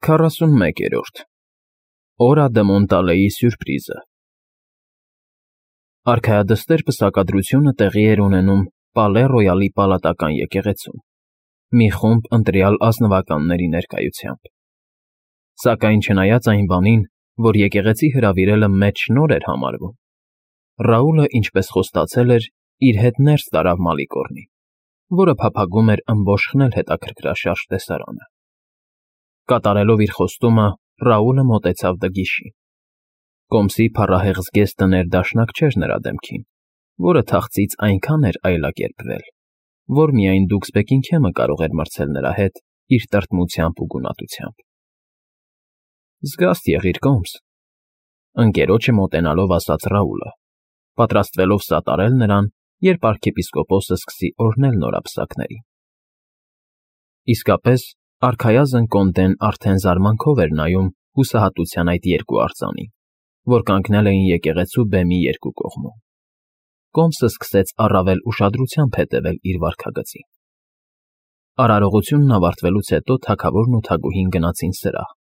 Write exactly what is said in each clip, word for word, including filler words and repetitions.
Քառասունմեկերորդ Օրա դե Մոնտալեի սյուրպրիզը Արքայադստեր պսակադրությունը տեղի էր ունենում Պալե Ռոյալի պալատական եկեղեցում, մի խումբ ընտրյալ ազնվականների ներկայությամբ։ Սակայն չնայած այն բանին, որ եկեղեցի հրավիրելը մեծ շնորհ էր համարվում, Ռաուլը, ինչպես խոստացել էր, իր հետ ներս տարավ Մալիկորնին, որը փափագում էր ըմբոշխնել հետաքրքրաշարժ տեսարանը։ Կատարելով իր խոստումը, Ռաուլը մոտեցավ Դգիշին։ Կոմսի փառահեղ զգեստը ներդաշնակ չէր նրա դեմքին, որը թախծից այնքան էր այլակերպվել, որ միայն Դուքսբեկինգհեմը կարող էր մրցել նրա հետ իր տրտմությամբ ու գունատությամբ։ Զգաստ եղիր, Կոմս, ընկերոջը մոտենալով ասաց Ռաուլը, պատրաստվելով սատարել նրան, երբ arczepiskopos-ը սկսի օրհնել նորապսակներին։ Իսկապես, արքայազն Կոնդեն արդեն զարմանքով էր նայում հուսահատության այդ երկու արձանին, որ կանգնել էին եկեղեցու բեմի երկու կողմում։ Կոմսը սկսեց առավել ուշադրությամբ հետևել իր վարքագծին։ Արարողությունն ավարտվելուց հետո թագավորն ու թագուհին գնացին սրահ,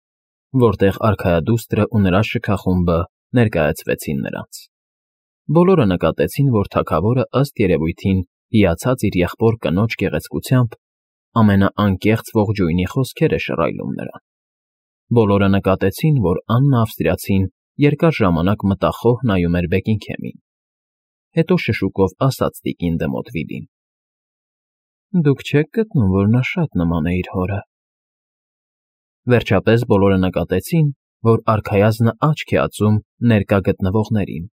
որտեղ արքայադուստրը ու նրա շքախումբը ներկայացվեցին նրանց։ Բոլորը նկատեցին, որ թագավորը ըստ երևույթին հիացած իր եղբոր կնոջ գեղեցկությամբ ամենաանկեղծ ողջույնի խոսքեր է շռայլում նրան։ Բոլորը նկատեցին, որ Աննա Ավստրիացին երկար ժամանակ մտախոհ նայում էր Բեկինգհեմին, հետո շշուկով ասաց տիկին Դեմոթվիլին. Դուք չեք գտնում, որ նա շատ նման է իր հորը։ Վերջապես բոլորը նկատեցին, որ արքայազնը աչք է ածում ներկա գտնվողներին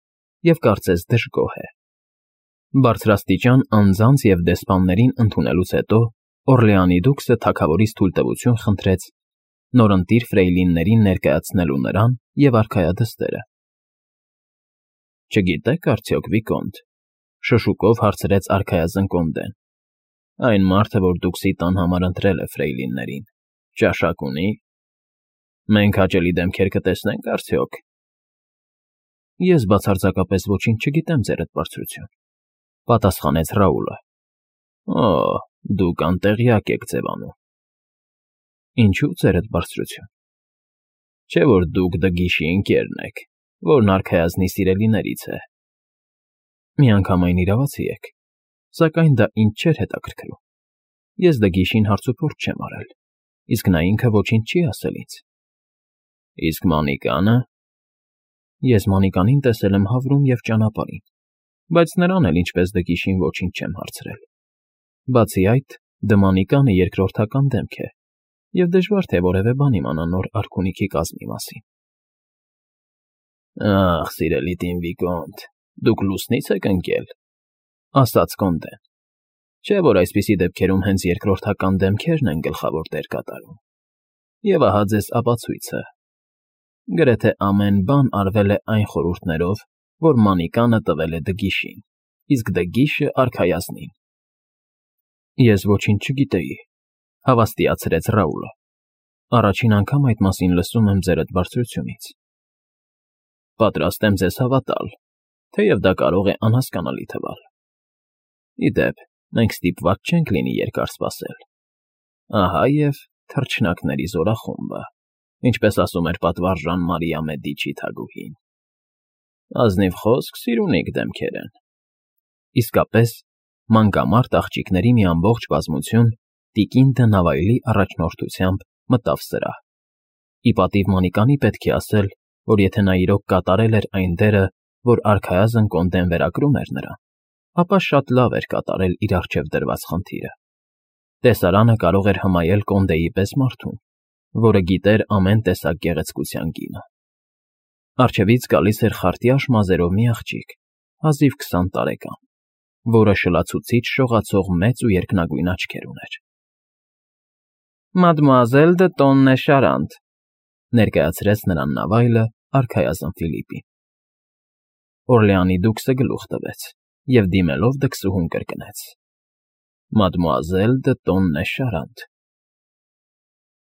և կարծես դժգոհ է։ Բարձրաստիճան անձանց և դեսպաններին ընդունելուց հետո Օրլեանի դուքսը թագավորից թույլտվություն խնդրեց նորընտիր ֆրեյլիններին ներկայացնելու նրան և արքայադստերը։ Չգիտեք արդյոք, Վիկոնտ, շշուկով հարցրեց արքայազն Կոնդեն, այն մարդը, որ դուքսի տան համար ընտրել է ֆրեյլիններին, ճաշակ ունի՞։ Մենք հաճելի դեմքեր կտեսնենք արդյոք։ Ես բացարձակապես ոչինչ չգիտեմ, ձերդ բարձրություն, պատասխանեց Ռաուլը։ Օ, դուք անտեղյակ եք ձևանում։ Ինչու, ձերդ բարձրություն։ Չէ՞ որ դուք Դգիշի ընկերն եք, որն արքայազնի սիրելիներից է։ Միանգամայն իրավացի եք, սակայն դա ինձ չէր հետաքրքրում։ Ես Դգիշին հարցուփորձ չեմ արել, իսկ նա ինքը ոչինչ չի ասել ինձ։ Իսկ Մանիկանը։ Ես Մանիկանին տեսել եմ Հավրում և ճանապարհին, բայց նրան էլ ինչպես Դգիշին ոչինչ չեմ հարցրել։ Բացի այդ, Դմանիկանը երկրորդական դեմք է, և դժվար թե որևէ բան իմանա նոր արքունիքի կազմի մասին։ Ախ, սիրելի տին Վիկոնտ, դուք լուսնի՞ց եք ընկել, ասաց Կոնդեն։ Չէ՞ որ այսպիսի դեպքերում հենց երկրորդական դեմքերն են գլխավոր դեր կատարում։ Եվ ահա ձեզ ապացույցը։ Գրեթե ամեն բան արվել է այն խորհուրդներով, որ Մանիկանը տվել է Դգիշին, իսկ Դգիշը արքայազնին։ Ես ոչինչ չգիտեի, հավաստիացրեց Ռաուլը։ Առաջին անգամ այդ մասին լսում եմ ձերդ բարձրությունից։ Պատրաստ եմ ձեզ հավատալ, թեև դա կարող է անհասկանալի թվալ։ Ի դեպ, մենք ստիպված չենք լինի երկար սպասել։ Ահա և թռչնակների զորախումբը, ինչպես ասում էր պատվարժան Մարիա Մեդիչի թագուհին։ Ազնիվ խոսք, սիրունիկ դեմքեր են։ Իսկապես, մանկամարտ աղջիկների մի ամբողջ բազմություն տիկին դը Նավայլի առաջնորդությամբ մտավ սրահ։ Ի պատիվ Մանիկանի պետք է ասել, որ եթե նա իրոք կատարել էր այն դերը, որ արքայազն Կոնդեն վերագրում էր նրան, ապա շատ լավ էր կատարել իր առջև դրված խնդիրը։ Տեսարանը կարող էր հմայել Կոնդեի պես մարդուն, որը գիտեր ամեն տեսակ գեղեցկության գինը։ Առջևից գալիս էր խարտյաշ մազերով մի աղջիկ, հազիվ քսան տարեկան, որը շլացուցիչ շողացող մեծ ու երկնագույն աչքեր ուներ։ Մադմուազել դը Տոննե Շարանտ, ներկայացրեց նրան Նավայլը արքայազն Ֆիլիպին։ Օրլեանի դուքսը գլուխ տվեց և դիմելով դքսուհուն կրկնեց. Մադմուազել դը Տոննե Շարանտ։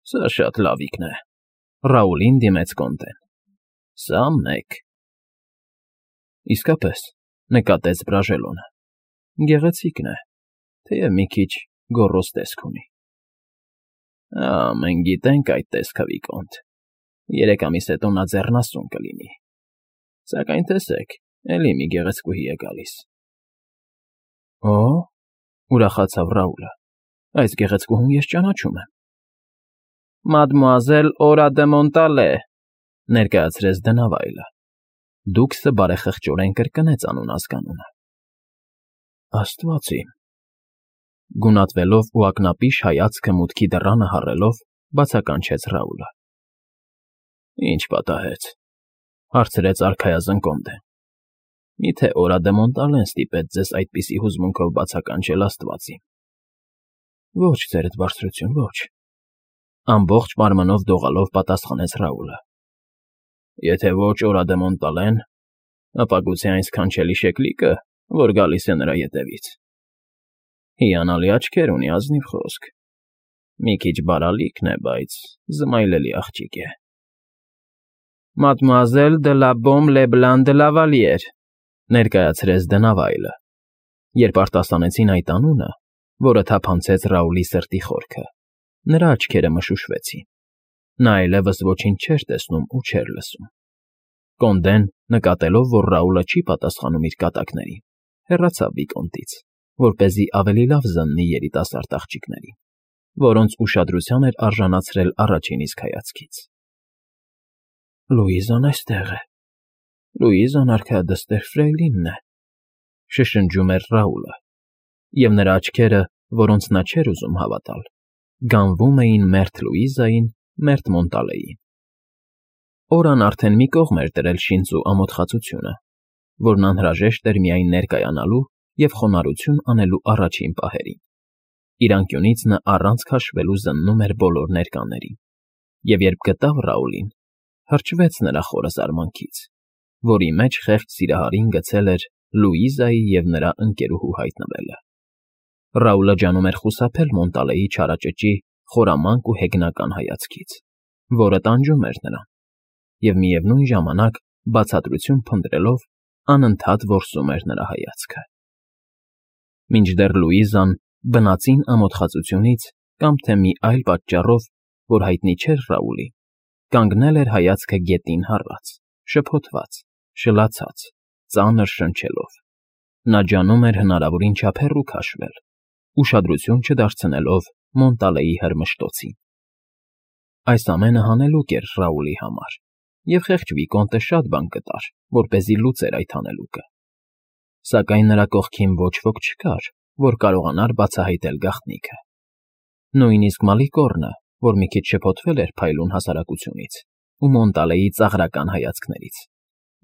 Սա շատ լավիկն է, Ռաուլին դիմեց Կոնդեն։ Սա մեկ։ Իսկապես, նկատեց Բրաժելոնը, գեղեցիկն է, թեև մի քիչ գոռոզ տեսք ունի։ Ա, մենք գիտենք այդ տեսքը, Վիկոնտ, երեք ամիս հետո նա ձեռնասուն կլինի, սակայն տեսեք, էլի մի գեղեցկուհի է գալիս։ ֊ Օ՜, ուրախացավ Ռաուլը, այս գեղեցկուհուն ես ճանաչում եմ։ ֊ Մադմուազել Օրա դը Մոնտալե,֊ ներկայացրեց դնավայրը։ Դուքսը բարեխղճորեն կրկնեց անուն֊ազգանունը։ ֊ Աստված իմ… Գունատվելով ու ակնապիշ հայացքը մուտքի դռանը հառելով, բացականչեց Ռաուլը։ ֊ Ի՞նչ պատահեց,֊ հարցրեց արքայազն Կոնդեն։ Միթե Օրա դը Մոնտալեն ստիպեց ձեզ այդպիսի հուզմունքով բացականչել, աստված իմ։ ֊ Ոչ, ձերդ բարձրություն, ոչ,֊ ամբողջ մարմնով դողալով պատասխանեց Ռաուլը։ ֊ Եթե ոչ Օրա դը Մոնտալեն, ապա գուցե այն սքանչելի շեկլիկը, որ գալիս է նրա ետևից։ Հիանալի աչքեր ունի, ազնիվ խոսք, մի քիչ բարալիքն է, բայց զմայլելի աղջիկ է։ ֊ Մադմուազել դը լա Բոմ Լեբլան դը Լավալիեր,֊ ներկայացրեց դնավայրը, երբ արտասանեցին այդ անունը, որը թափանցեց Ռաուլի սրտի խորքը, նրա աչքերը մշուշվեցին։ Նա այլևս ոչինչ չէր տեսնում ու չէր լսում։ Կոնդեն, նկատելով, որ Ռաուլը չի պատասխանում իր կատակներին, հեռացավ Վիկոնտից, որպեսզի ավելի լավ զննի երիտասարդ աղջիկներին, որոնց ուշադրության էր արժանացրել առաջին իսկ հայացքից։ ֊ Լուիզան այստեղ է, Լուիզան արքայադստեր Ֆրեյլինն է,֊ շշնջում էր Ռաուլը, և նրա աչքերը, որոնց նա չէր ուզում հավատալ, գանվում էին մերթ Լուիզային, մերթ Մոնտալեին։ Օրան արդեն մի կողմ էր դրել շինծու ամոթխածությունը, որն անհրաժեշտ էր միայն ներկայանալու և խոնարհություն անելու առաջին պահերին։ Իր անկյունից նա առանց քաշվելու զննում էր բոլոր ներկաներին, և երբ գտավ Ռաուլին, հրճվեց նրա խորը զարմանքից, որի մեջ խեղճ սիրահարին գցել էր Լուիզայի և նրա ընկերուհու հայտնվելը։ Ռաուլը ջանում էր խուսափել Մոնտալեի չարաճճի խորամանկ ու հեգնական հայացքից, որը տանջում էր նրան, և միևնույն ժամանակ, բացատրություն փնտրելով, անընդհատ որսում էր նրա հայացքը։ Մինչդեռ Լուիզան, բնածին ամոթխածությունից կամ թե մի այլ պատճառով, որ հայտնի չէր Ռաուլին, կանգնել էր հայացքը գետին հառած, շփոթված, շլացած, ծանր շնչելով։ Նա ջանում էր հնարավորին չափ հեռու քաշվել, ուշադրություն չդարձնելով Մոնտալեի հրմշտոցին։ Այս ամենը հանելուկ էր Ռաուլի համար, և խեղճ Վիկոնտը շատ բան կտար, որպեսզի լուծեր այդ հանելուկը։ Սակայն նրա կողքին ոչ ոք չկար, որ կարողանար բացահայտել գաղտնիքը։ Նույնիսկ Մալիկոռնը, որ մի քիչ շփոթվել էր փայլուն հասարակությունից ու Մոնտալեի ծաղրական հայացքներից,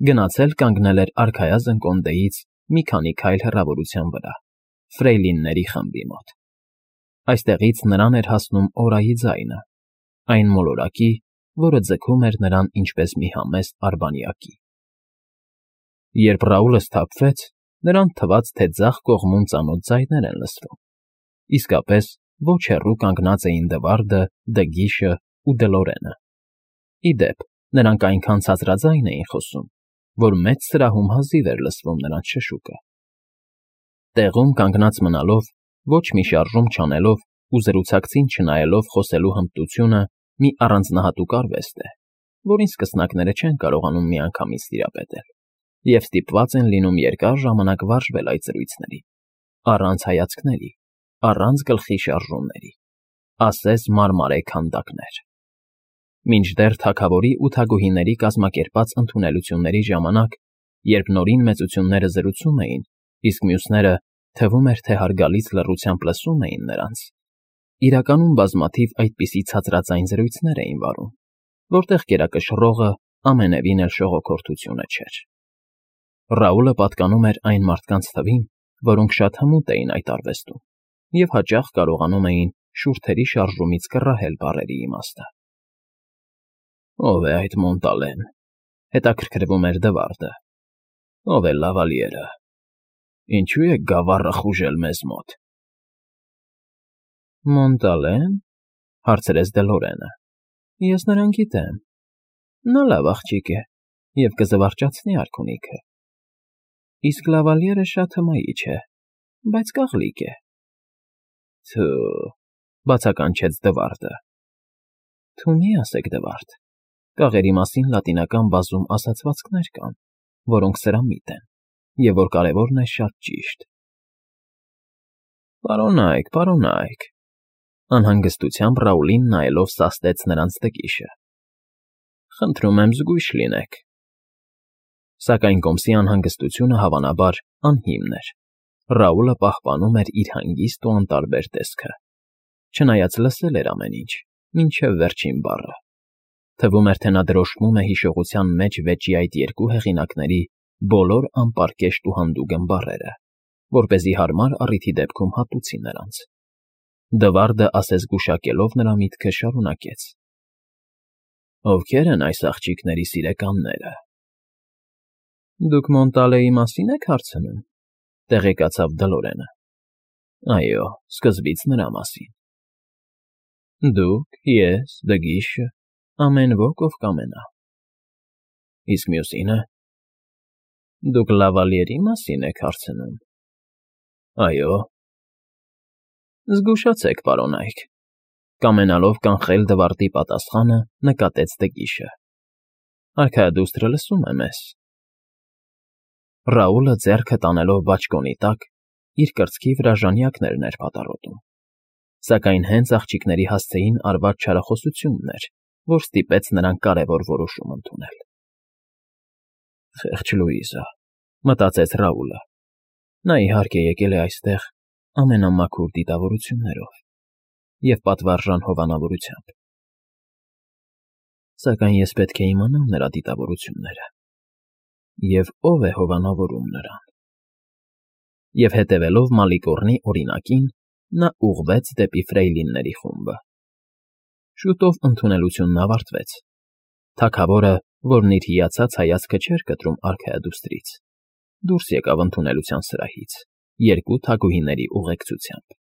գնացել կանգնել էր արքայազն Կոնդեից մի քանի քայլ հեռավորության վրա, ֆրեյլինների խմբի մոտ։ Այստեղից նրան էր հասնում Օրայի ձայնը, այն մոլորակի, որը ձգում էր նրան ինչպես մի համեստ արբանյակի։ Երբ Ռաուլը սթափվեց, նրան թվաց, թե ձախ կողմում ծանոթ ձայներ են լսվում, իսկապես ոչ հեռու կանգնած էին Դվարդը, Դգիշը ու Դլորենը։ Ի դեպ, նրանք այնքան ցածրաձայն էին խոսում, որ մեծ սրահում հազիվ էր լսվում նրանց շշուկը։ Տեղում կանգնած մնալով, ոչ մի շարժում չանելով ու զրուցակցին չնայելով խոսելու հմտությունը մի առանձնահատուկ արվեստ է, որին սկսնակները չեն կարողանում միանգամից տիրապետել, և ստիպված են լինում երկար ժամանակ վարժվել այդ զրույցների, առանց հայացքների, առանց գլխի շարժումների, ասես մարմարե քանդակներ։ Մինչդեռ թագավորի ու թագուհիների կազմակերպած ընդունելությունների ժամանակ, երբ նորին մեծությունները զրուցում էին, իսկ մյուսները, թվում էր, թե հարգալից լռությամբ լսում էին նրանց, իրականում բազմաթիվ այդպիսի ցածրածայն զրույցներ էին վարում, որտեղ կերակշռողը ամենևին էլ շողոքորթությունը չէր։ Ռաուլը պատկանում էր այն մարդկանց թվին, որոնք շատ հմուտ էին այդ արվեստում և հաճախ կարողանում էին շուրթերի շարժումից կռահել բառերի իմաստը։ Ո՞վ է այդ Մոնտալեն,֊ հետաքրքրվում էր Դվարդը։ Ո՞վ է Լավալիերը։ Ինչու է գավառը խուժել մեզ մոտ։ ֊ Մոնտալե՞ն,֊ հարցրեց Դլորենը։ Ես նրան գիտեմ։ Նա լավ աղջիկ է և կզվարճացնի արքունիքը։ Իսկ Լավալիերը շատ հմայիչ է, բայց կաղլիկ է։ ֊ Թո՛ւ,֊ բացականչեց Դվարդը։ Թու մի ասեք, Դվարդ, կաղերի մասին լատինական բազում ասացվածքներ կան, որոնք սրամիտ են, և որ կարևորն է շատ ճիշտ։ Պարոնա՛յք, պարոնա՛յք,֊ անհանգստությամբ Ռաուլին նայելով սաստեց նրանց տկիչը։ Խնդրում եմ զգույշ լինեք։ Սակայն կոմսի անհանգստությունը, հավանաբար, անհիմն էր. Ռաուլը պահպանում էր իր հանգիստ ու անտարբեր տեսքը, չնայած լսել էր ամեն ինչ, մինչև վերջին բառը։ Թվում էր, թե նա դրոշմում է հիշողության մեջ վեճի այդ երկու հեղինակների բոլոր անպարկեշտ ու հանդուգն բառերը, որպեսզի հարմար առիթի դեպքում հատուցի նրանց։ Դվարդը, ասես գուշակելով նրա միտքը, շարունակեց. Ովքե՞ր են այս աղջիկների սիրեկանները։ Դուք Մոնտալեի մասին եք հարցնում,֊ տեղեկացավ Դլորենը։ Այո, սկզբից նրա մասին։ Դուք, ես, Դգիշը, ամեն ոք, ով կամենա։ Իսկ մյուսինը։ Դուք Լավալիերի մասին եք հարցնում։ Այո։ Զգուշացեք, պարոնայք,֊ կամենալով կանխել Դվարդի պատասխանը, նկատեց Դգիշը։ Արքայադուստրը լսում է մեզ։ Ռաուլը ձեռքը տանելով բաճկոնի տակ, իր կրծքի վրա ժանյակներն էր պատառոտում, սակայն հենց աղջիկների հասցեին արված չարախոսությունն էր, որ ստիպեց նրան կարևոր որոշում ընդունել։ Խեղճ Լուիզա,֊ մտածեց Ռաուլը։ Նա, իհարկե, եկել է այստեղ ամենամաքուր դիտավորություններով և պատվարժան հովանավորությամբ։ Սակայն ես պետք է իմանամ նրա դիտավորությունները և ով է հովանավորում նրան։ Եվ հետևելով Մալիկոռնի օրինակին, նա ուղղվեց դեպի ֆրեյլինների խումբը։ Շուտով ընդունելությունն ավարտվեց։ Թագավորը, որն իր հիացած հայացքը չէր կտրում արքայադուստրից, դուրս եկավ ընդունելության սրահից, երկու թագուհիների ուղեկցությամբ։